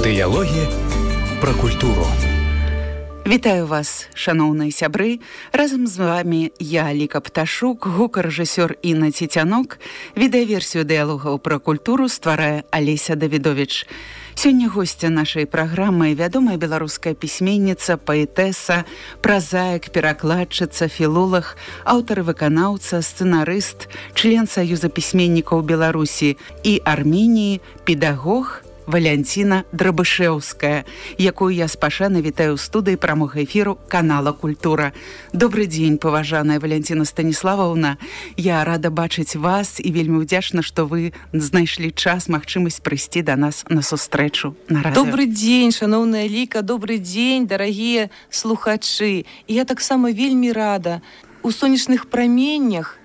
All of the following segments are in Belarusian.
Дыялогі пра культуру. Вітаю вас, шаноўныя сябры. Разам з вами я, Ліка Пташук, гукарэжысёр Інна Цецянок. Відэаверсію дыялогаў пра культуру стварае Алеся Давідовіч. Сёння госця нашай праграмы вядомая беларуская пісьменніца, паэтэса, празаік, перакладчыца, філолог, аўтар і выканаўца, сцэнарыст, член Саюза пісьменнікаў Беларусі і Арменіі, педагог Валянціна Драбышэўская, якую я спашана вітаю ў студыі прамога эфіру канала «Культура». Добры дзень, паважаная Валянціна Станіславаўна. Я рада бачыць вас і вельмі ўдзячна, што вы знайшлі час, магчымасць прыйсці да нас на сустрэчу на радыё. Добры дзень, шаноўная Ліка, добры дзень, дарагія слухачы. І я таксама вельмі рада у сонечных праменнях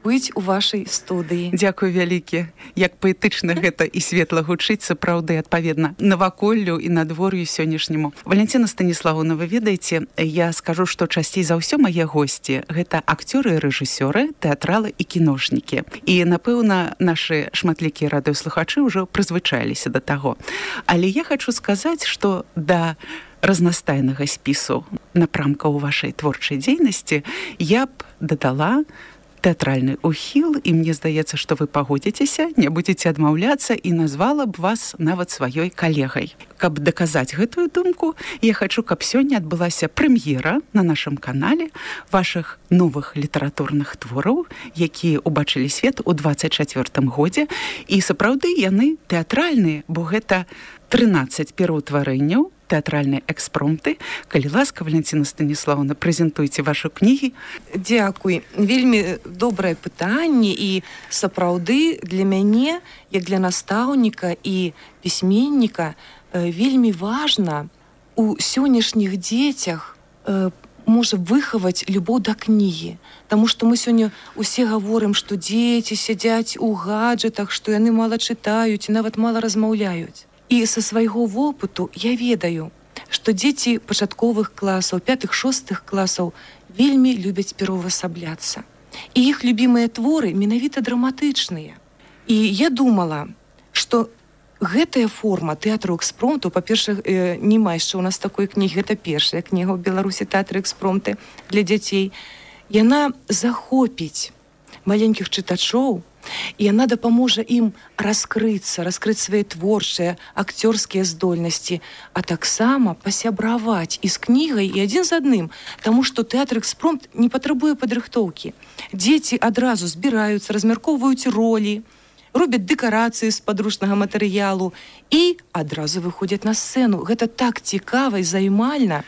быць у вашай студыі. Дзякуй вялікі. Як паэтычна гэта і светла гучыць, сапраўды, адпаведна, наваколлю і надвор'ю сённяшняму. Валянціна Станіславовна, вы ведаеце, я скажу, што часцей за ўсё мае госці гэта акцёры і рэжысёры, тэатралы і кіношнікі. І, напэўна, нашы шматлікія радыёслухачы ўжо прызвычаіліся да таго. Але я хачу сказаць, што да разнастайнага спісу напрамкаў вашай творчай дзейнасці я б дадала тэатральны ухіл, і мне здаецца, што вы пагодзіцеся, не будзеце адмаўляцца, і назвала б вас нават сваёй калегай. Каб даказаць гэтую думку, я хачу, каб сёння адбылася прэм'ера на нашым канале вашых новых літаратурных твораў, якія ўбачылі свет у 24-м годзе, і сапраўды яны тэатральныя, бо гэта 13 пераўтварэнняў, тэатральныя экспромты. Калі ласка, Валянціна Станіславовна, прэзентуйце вашу кнігі. Дзякуй. Вельмі добрае пытанне, і сапраўды для мяне, як для настаўніка і пісьменніка, вельмі важна у сённяшніх дзецях можа выхаваць любоў да кнігі. Таму што мы сёння усе гаворым, што дзеці сядзяць у гаджетах, што яны мала чытаюць і нават мала размаўляюць. І са свайго вопыту я ведаю, што дзеці пачатковых класаў, 5-6 класаў вельмі любяць пераўвасабляцца. І іх любімыя творы менавіта драматычныя. І я думала, што гэтая форма тэатру экспромту, па-першае, няма яшчэ ў нас такой кнігі, гэта першая кніга ў Беларусі тэатры экспромты для дзяцей, яна захопіць маленькіх чытачоў, і яна дапаможа ім раскрыць свае творчыя, акцёрскія здольнасці, а таксама пасябраваць і з кнігай, і адзін з адным, таму што тэатр экспромт не патрабуе падрыхтоўкі. Дзеці адразу збіраюцца, размяркоўваюць ролі, робяць дэкарацыі з падручнага матэрыялу і адразу выходзяць на сцэну. Гэта так цікава і займальна.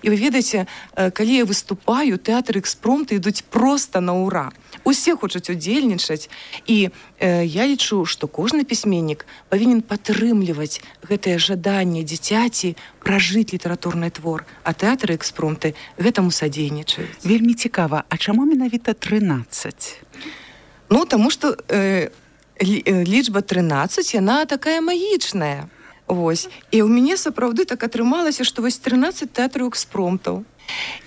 І вы ведаеце, калі я выступаю, тэатры экспромты ідуць проста на ўра. Усе хочуць удзельнічаць. І я лічу, што кожны пісьменнік павінен падтрымліваць гэтае жаданне дзіцяці пражыць літаратурны твор. А тэатры экспромты гэтаму садзейнічаюць. Вельмі цікава, а чаму менавіта 13? Ну, таму што лічба 13, яна такая магічная. Вось. І ў мяне сапраўды так атрымалася, што вось 13 тэатраў экспромтаў.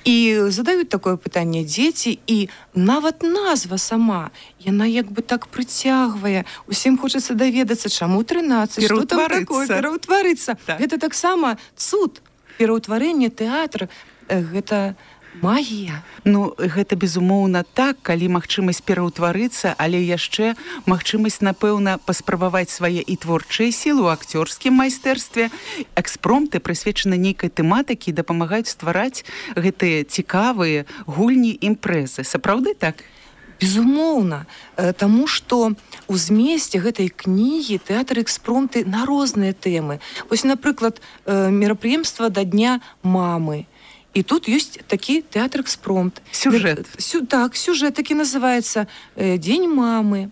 І задаюць такое пытанне дзеці, і нават назва сама, яна як бы так прыцягвае. Усім хочацца даведацца, чаму 13, што там такое, пераўтварыцца. Так. Гэта таксама цуд. Пераўтварэнне тэатра, гэта магія. Ну, гэта безумоўна так, калі магчымасць пераўтварыцца, але яшчэ магчымасць, напэўна, паспрабаваць свае і творчыя сілы ў акцёрскім майстэрстве. Экспромты прысвечаны нейкай тэматыкі і дапамагаюць ствараць гэтыя цікавыя гульні, імпрэзы. Сапраўды так? Безумоўна, таму што у змесце гэтай кнігі тэатр экспромты на розныя тэмы. Вось, напрыклад, мерапрыемства да Дня мамы. І тут ёсць такі тэатр экспромт. Сюжэт. Так, сюжэт такі называецца «Дзень мамы».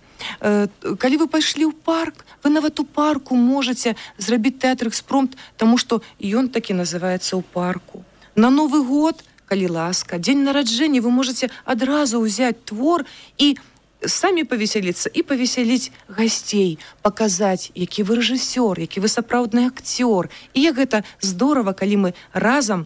Калі вы пайшлі ў парк, вы нават у парку можаце зрабіць тэатр экспромт, таму што ён такі называецца ў парку. На Новы год, калі ласка, дзень нараджэння, вы можаце адразу ўзяць твор і самі павесяліцца і павесяліць гасцей, паказаць, які вы рэжысёр, які вы сапраўдны акцёр. І як гэта здорава, калі мы разам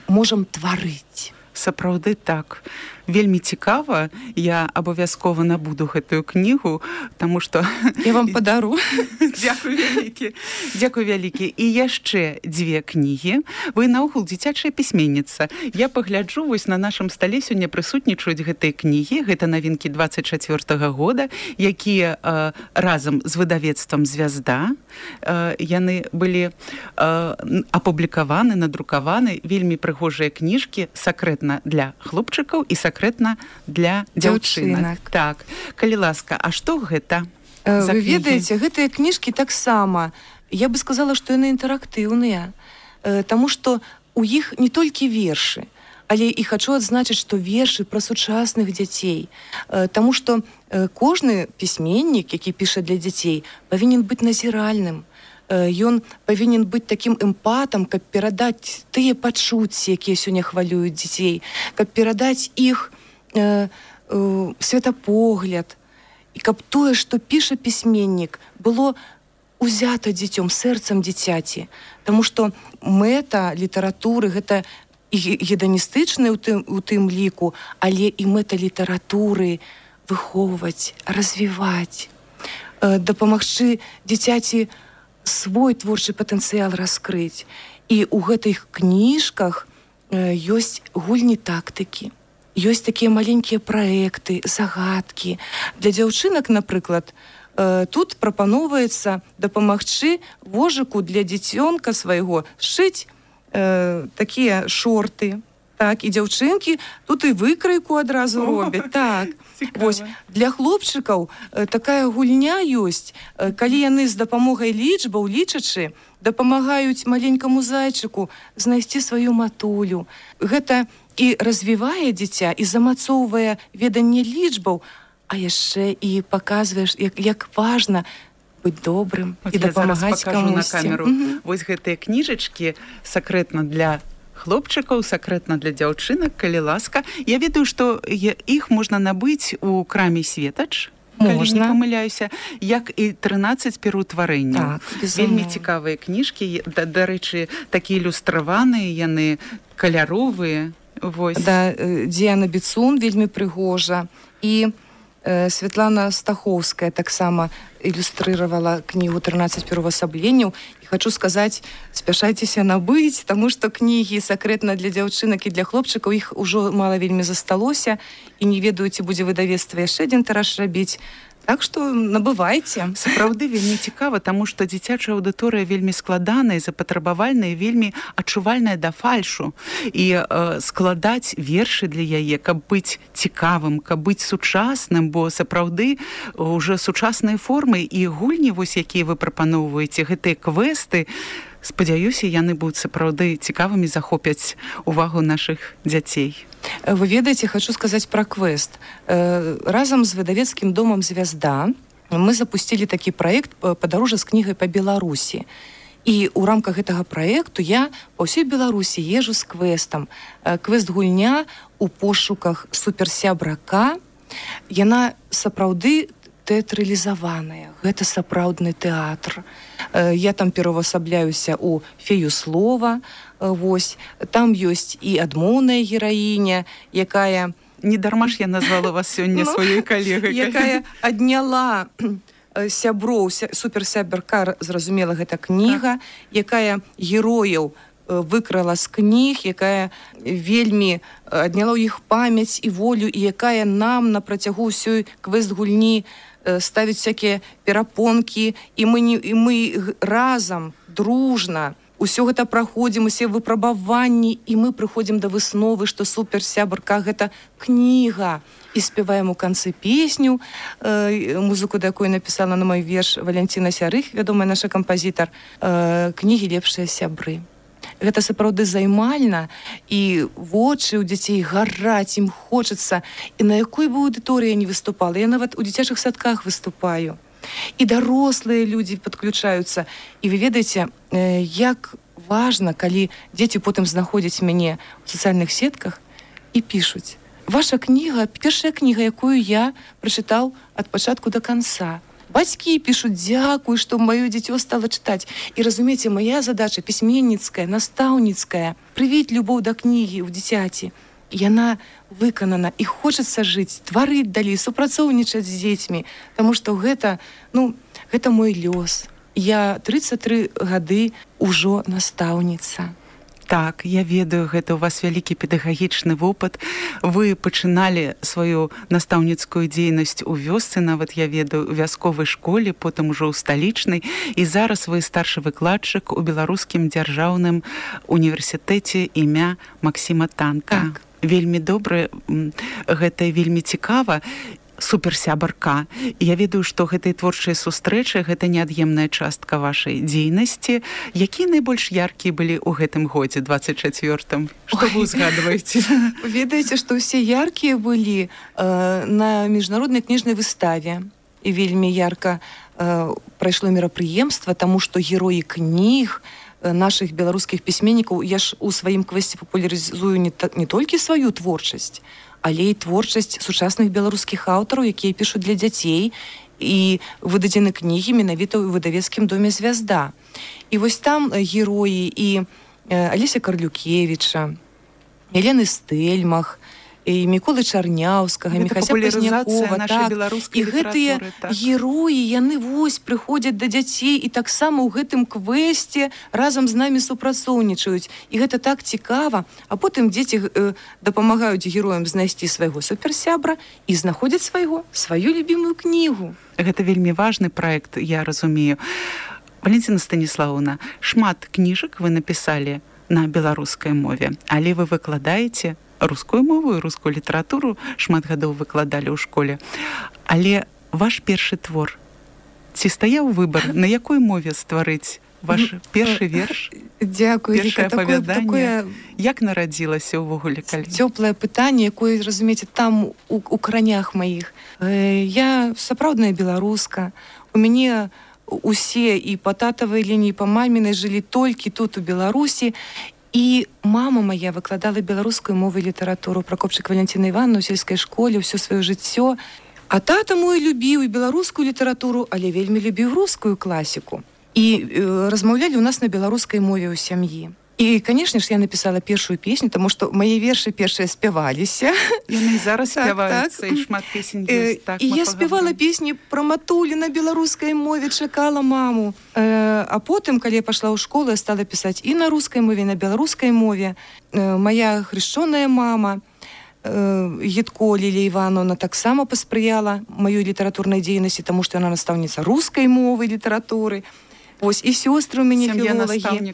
можам тварыць. Сапраўды так. вельмі цікава. Я абавязкова набуду гэтую кнігу, таму што я вам падару. Дзякуй вялікі. Дзякуй вялікі. І яшчэ 2 кнігі. Вы наогул дзіцячая пісьменніца. Я пагляджу, вось на нашым стале сёння прысутнічаюць гэтыя кнігі. Гэта навінкі 24-го года, якія разам з выдавецтвам «Звязда» яны былі апублікаваны, надрукаваны. Вельмі прыгожыя кніжкі, сакрэтна для хлопчыкаў і сакрэтна для дзяўчынак. Так. Калі ласка, а што гэта? Вы ведаеце, гэтыя кніжкі таксама, я бы сказала, што яны інтэрактыўныя, таму што у іх не толькі вершы, але і хачу адзначыць, што вершы пра сучасных дзяцей, таму што кожны пісьменнік, які піша для дзяцей, павінен быць назіральным. Ён павінен быць такім эмпатам, каб перадаць тыя пачуцці, якія сёння хвалююць дзяцей, каб перадаць іх светапогляд, і каб тое, што піша пісьменнік, было узята дзіцём, сэрцам дзіцяці. Таму што мэта літаратуры гэта і геданістычная у тым ліку, але і мэта літаратуры выхоўваць, развіваць, дапамагчы дзіцяці свой творчы патэнцыял раскрыць. І ў гэтых кніжках ёсць гульні тактыкі, ёсць такія маленькія праекты, загадкі. Для дзяўчынак, напрыклад, тут прапаноўваецца дапамагчы вожыку для дзіцёнка свайго сшыць такія шорты. Так, і дзяўчынкі тут і выкрайку адразу робяць. Так. Вось, для хлопчыкаў такая гульня ёсць, калі яны з дапамогай лічбаў, лічачы, дапамагаюць маленькаму зайчыку знайсці сваю матулю. Гэта і развівае дзіця, і замацоўвае веданне лічбаў, а яшчэ і паказваеш, як важна быць добрым і дапамагаць камусьці. Вось гэтыя кніжачкі сакрэтна для хлопчыкаў, сакрэтна для дзяўчынак, калі ласка. Я ведаю, што іх можна набыць у краме «Светач», калі не памыляюся, як і 13 пераўтварэнняў. Вельмі цікавыя кніжкі, дарэчы, такія ілюстраваныя, яны каляровыя. Да, Діана Біцун вельмі прыгожа. І Святлана Стаховская таксама ілюстрыравала кнігу «13 пераўвасабленняў». І хачу сказаць, спяшайцеся набыць, таму што кнігі сакрэтна для дзяўчынак і для хлопчыкаў, іх ужо мала вельмі засталося, і не ведаю, ці будзе выдавецтва яшчэ адзін тыраж рабіць. Так што набывайце. Сапраўды вельмі цікава, таму што дзіцячая аўдыторыя вельмі складаная, запатрабавальная, вельмі адчувальная да фальшу. І складаць вершы для яе, каб быць цікавым, каб быць сучасным, бо сапраўды ўжо сучасныя формы і гульні, вось якія вы прапаноўваеце, гэтыя квесты, спадзяюся, яны будуць сапраўды цікавымі, захопяць увагу нашых дзяцей. Вы ведаеце, хачу сказаць пра квест. Разам з выдавецкім домам «Звязда» мы запусцілі такі праект «Падарожжа з кнігай па Беларусі». І ў рамках гэтага праекту я па ўсёй Беларусі езжу з квестам. Квест-гульня у пошуках суперсябрака. Яна сапраўды тэатралізаваная. Гэта сапраўдны тэатр. Я там пераўвасабляюся ў фею слова. Вось, там ёсць і адмоўная гераіня, якая... Не дарма ж я назвала вас сёння сваёй калегай. Якая адняла сяброў, суперсябрака, зразумела, гэта кніга, якая герояў выкрала з кніг, якая вельмі адняла ў іх памяць і волю, і якая нам на працягу ўсёй квест-гульні ставіць всякія перапонкі, і мы разам, дружна, усё гэта праходзім, усе выпрабаванні, і мы прыходзім да высновы, што суперсябарка гэта кніга. І спяваем у канцы песню, музыку, да якой напісала на мой верш Валянціна Сярых, вядомая наша кампазітар, кнігі «Лепшыя сябры». Гэта сапраўды займальна, і вочы ў дзяцей гараць, ім хочацца. І на якой бы аўдыторыі я не выступала, я нават у дзіцячых садках выступаю. І дарослыя людзі падключаюцца. І вы ведаеце, як важна, калі дзеці потым знаходзяць мяне ў сацыяльных сетках і пішуць. Ваша кніга, першая кніга, якую я прачытаў ад пачатку да канца. Бацькі пішуць, дзякуй, што маё дзіцё стала чытаць. І разумееце, моя задача пісьменніцкая, настаўніцкая, прывіць любоў да кнігі ў дзіцяці. яна выканана, і хочацца жыць, тварыць далей, супрацоўнічаць з дзецьмі, таму што гэта мой лёс. Я 33 гады ўжо настаўніца. Так, я ведаю, гэта ў вас вялікі педагагічны вопыт. Вы пачыналі сваю настаўніцкую дзейнасць у вёсцы, нават я ведаю, у вясковай школе, потым ужо ў сталічнай, і зараз вы старшы выкладчык у Беларускім дзяржаўным універсітэце імя Максіма Танка. Так. Вельмі добра, гэта вельмі цікава. Суперсябарка. Я ведаю, што гэтыя творчыя сустрэчы гэта неад'емная частка вашай дзейнасці. Якія найбольш яркія былі ў гэтым годзе 24-м? Што вы узгадваеце? Ведаеце, што ўсе яркія былі на міжнароднай кніжнай выставе. І вельмі ярка прайшло мерапрыемства, таму што героі кніг нашых беларускіх пісьменнікаў, я ж у сваім квесце папулярызую не толькі сваю творчасць, але і творчасць сучасных беларускіх аўтараў, якія пішуць для дзяцей, і выдадзены кнігі менавіта ў выдавецкім доме «Звязда». І вось там героі і Алеся Карлюкевіча, Елены Стэльмах, і Міколы Чарняўскага, Міхася Пазнякова, так. І гэтыя героі, яны вось прыходзяць да дзяцей і таксама ў гэтым квесце разам з намі супрацоўнічаюць. І гэта так цікава. А потым дзеці дапамагаюць героям знайсці свайго суперсябра і знаходзяць сваю любімую кнігу. Гэта вельмі важны праект, я разумею. Валентина Станіслаўна, шмат кніжак вы напісалі на беларускай мове, але вы выкладаеце рускую мову і рускую літаратуру, шмат гадоў выкладалі ў школе. Але ваш першы твор, ці стаяў выбар, на якой мове стварыць ваш першы верш? Дзякую. Першае апавяданне. Як нарадзілася ўвогуле? Цёплае пытанне, якое, разумееце, там у кранях маіх. Я сапраўдная беларуска. У мяне усе і па татавай лініі, і па мамінай жылі толькі тут у Беларусі. І мама моя выкладала беларускую мову і літаратуру, Пракопчык Валентина Івановна ў сельскай школе ўсё сваё жыццё. А тата мой любіў і беларускую літаратуру, але вельмі любіў рускую класіку. І размаўлялі ў нас на беларускай мове ў сям'і. І, канешне ж, я напісала першую песню, таму што мае вершы першыя спяваліся. Яны зараз спяваюцца, і шмат песень ёсць. І я спявала песні пра матулі на беларускай мове, чакала маму. А потым, калі я пайшла ў школу, я стала пісаць і на рускай мове, і на беларускай мове. Мая хрышчоная мама, Гітко Лілія Івановна, таксама паспрыяла маёй літаратурнай дзейнасці, таму што яна настаўніца рускай мовы і літаратуры. Вось, і сёстры ў мяне філолагі.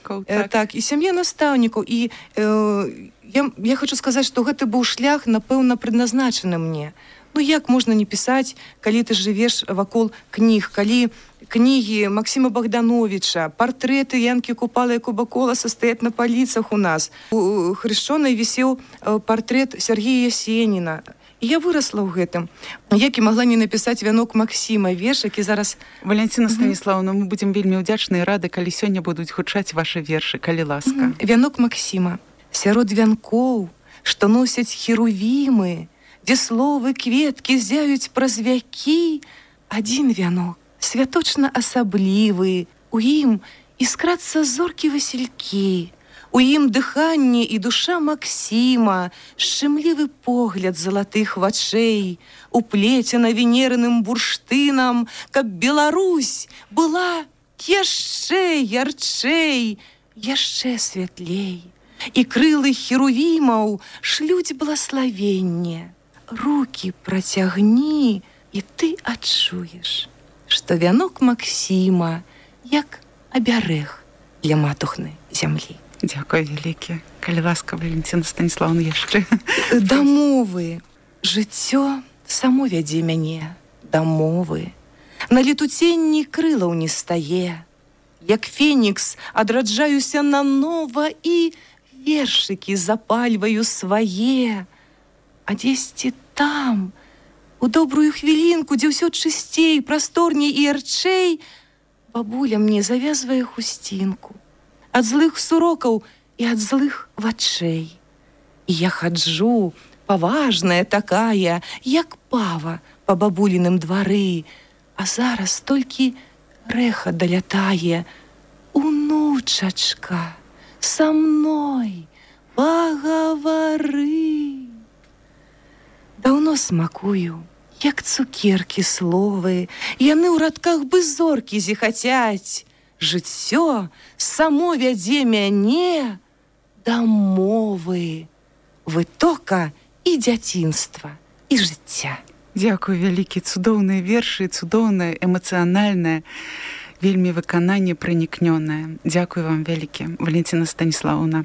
Так, і сям'я настаўнікаў. І я хочу сказаць, што гэты быў шлях, напэўна, предназначаны мне. Ну, як можна не пісаць, калі ты жывеш вакол кніг, калі кнігі Максіма Богдановича, партрэты Янкі Купала і Кубаколаса стаяць на паліцах у нас. У хрышчонай вісеў партрэт Сергея Есеніна. І я вырасла ў гэтым. Як і магла не напісаць «Вянок Максіма», верш, які зараз... Валентина Станіслаўна, мы будзем вельмі ўдзячныя і рады, калі сёння будуць гучаць вашы вершы, калі ласка. «Вянок Максіма. Сярод вянкоў, што носяць херувімы, дзе словы кветкі зяюць праз вякі, адзін вянок, святочна асаблівы, у ім іскрацца зоркі-васількі, у ім дыханне і душа Максіма, шчымлівы погляд залатых вачэй, уплецена венерным бурштынам, каб Беларусь была яшчэ ярчэй, яшчэ святлей. І крылы херувімаў шлюць блаславенне. Рукі працягні, і ты адчуеш, што вянок Максіма як абярэг для матухны зямлі. Дзякуй вялікі. Калі ласка, Валентина Станіслаўна, яшчэ. Да мовы. Жыццё само вядзе мяне да мовы. На летуценні крылаў не стае. Як фенікс адраджаюся нанова і вершыкі запальваю свае. А дзесьці там, у добрую хвілінку, дзе ўсё чысцей, прасторней і ярчэй, бабуля мне завязвае хусцінку. Ад злых сурокаў і ад злых вачэй. І я хаджу, паважная такая, як пава па бабуліным двары, а зараз толькі рэха далятае. Унучачка, са мной пагавары. жыццё смакую, як цукеркі словы, яны ў радках бы зоркі зіхацяць. Жыццё само вядзе мяне да мовы, вытока і дзяцінства, і жыцця. Дзякуй вялікі, цудоўныя вершы, цудоўнае, эмацыянальнае, вельмі выкананне пранікнёнае. Дзякуй вам вялікі, Валентина Станіславовна.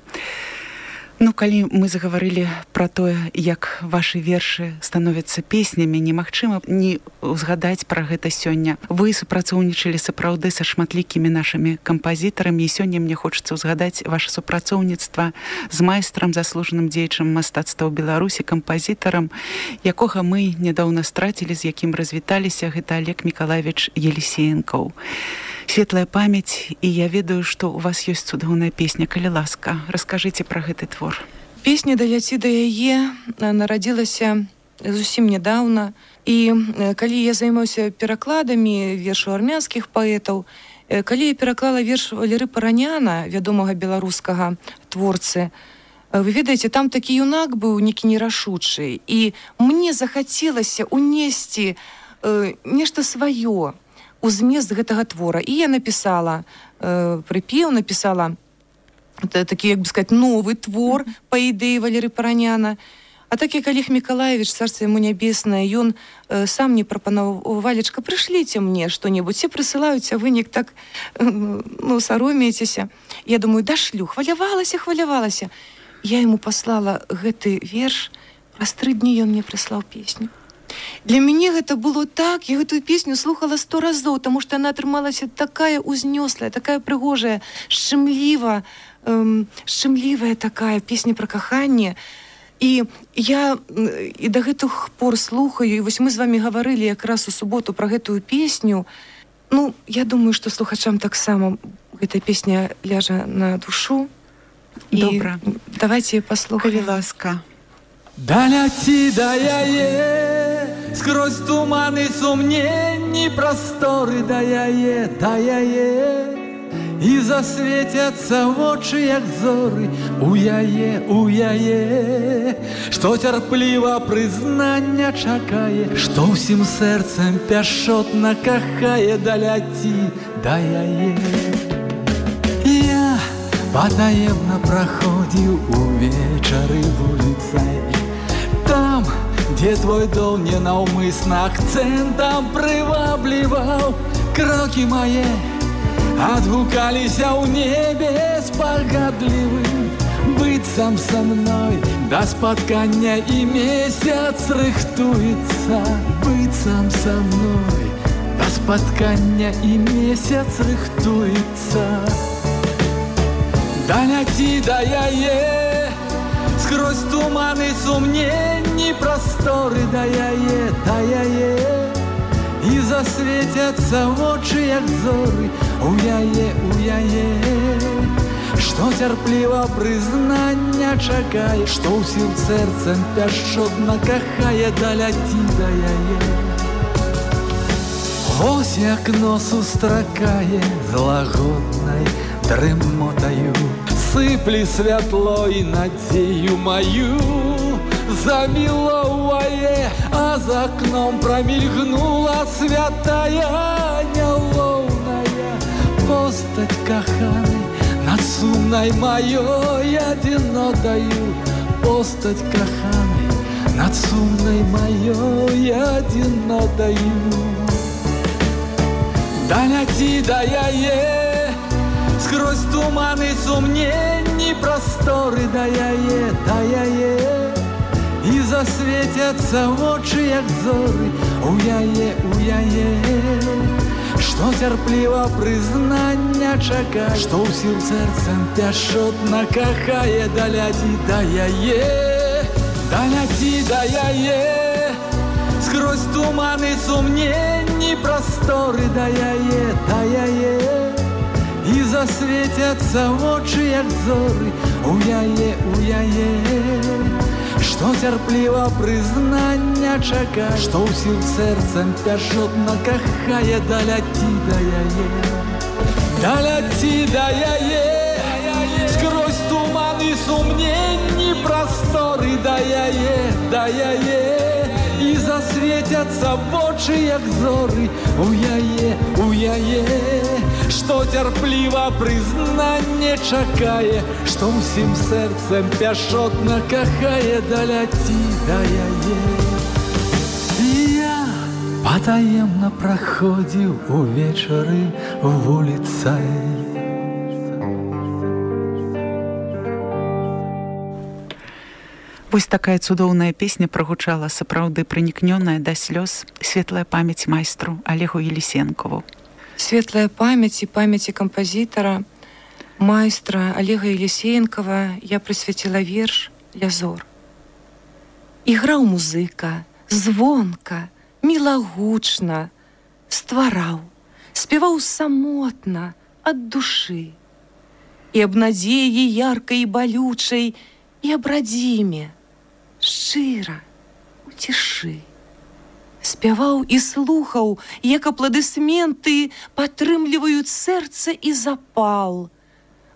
Ну, калі мы загаварылі пра тое, як вашы вершы становяцца песнямі, немагчыма не ўзгадаць пра гэта сёння. Вы супрацоўнічалі сапраўды са шматлікімі нашымі кампазітарамі, і сёння мне хочацца ўзгадаць ваше супрацоўніцтва з майстрам, заслужаным дзеячам мастацтва ў Беларусі, кампазітарам, якога мы нядаўна страцілі, з якім развіталіся, гэта Олег Миколаевич Елисеенков. Светлая памяць, і я ведаю, што у вас ёсць цудоўная песня, калі ласка, раскажыце пра гэты твор. Песня «Даляці да яе» нарадзілася зусім нядаўна, і калі я займаўся перакладамі вершаў армянскіх паэтаў, калі я пераклала верш Валеры Параняна, вядомага беларускага творцы, вы ведаеце, там такі юнак быў некі нерашучы, і мне захацелася унесці нешта сваё у змест гэтага твора. І я напісала прыпеў, напісала такі, як бы сказаць, новы твор па ідэі Валеры Параняна. А так як Олег Миколаевич, царство ему нябеснае, ён сам мне прапанаваў: Валечка, прышліце мне што-небудзь. Все прысылаюць, а вы неяк так саромеецеся. Я думаю, дашлю, хвалявалася. Я яму паслала гэты верш, праз 3 дні ён мне прыслаў песню. Для мяне гэта было так, я гэтую песню слухала 100 разоў, таму што яна атрымалася такая узнёслая, такая прыгожая, шчымлівая такая песня пра каханне. І я і да гэтых пор слухаю, і вось мы з вамі гаварылі якраз у суботу пра гэтую песню. Ну, я думаю, што слухачам таксама гэтая песня ляжа на душу. Добра. Давайте паслухаем. Калі ласка. Даляці да яе, скрозь туманы сумненні, прасторы да яе, і засветяцца вочы, як зоры у яе, што цярпліва прызнання чакае, што ўсім сэрцам пяшчотна кахае. Даляці да яе. Я патаемна праходзіў увечары вуліцай, там, дзе твой дом ненаўмысна акцэнтам прывабліваў. Крокі мае адгукаліся ў небе спагадлівым, быццам са мной да спаткання і месяц рыхтуецца, быццам са мной да спаткання і месяц рыхтуецца. Даляці да яе, скрозь туманы сумненні, прасторы да яе, і засветяцца вочы, як зоры у яе, што цярпліва прызнання чакае, што ўсім сэрцам пяшчотна кахае. Даляці да яе. Вось як нос устракае з лагоднай дрымотаю, сыплі святло і надзею маю заміловае, а за акном прамільгнула святая нялоўная постаць каханай над сумнай маёй адзінотаю, постаць каханай над сумнай маёй адзінотаю. Даляці да яе, скрозь туманы сумненні, прасторы да яе, і засветяцца вочы, як зоры у яе, што цярпліва прызнання чакае, што ўсім сэрцам пяшчотна кахае. Даляці да яе, даляці да яе, скрозь туманы сумненні, прасторы да яе, і засветяцца вочы, як зоры у яе, што цярпліва прызнання чакае, што ўсім сэрцам пяшчотна кахае. Даляці да яе, даляці да яе, скрозь туманы сумненні, прасторы да яе, засветяцца вочы, як зоры у яе, што цярпліва прызнанне чакае, што ўсім сэрцам пяшотна кахае, даляці да яе. Я патаемна праходзіў увечары вуліцай. Вось такая цудоўная песня прагучала, сапраўды пранікнёная да слёз, светлая памяць майстру Олегу Елисенкову. Светлая памяць і памяці кампазітара, майстра Олега Елисенкова я прысвяціла верш «Лязор». Іграў музыка, звонка, мілагучна, ствараў, спяваў самотна, ад душы. І аб надзеі яркай і балючай, і аб радзіме, шчыра, у цішы. Спяваў і слухаў, як апладысменты падтрымліваюць сэрца і запал.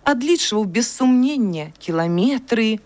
Адлічваў без сумнення кіламетры,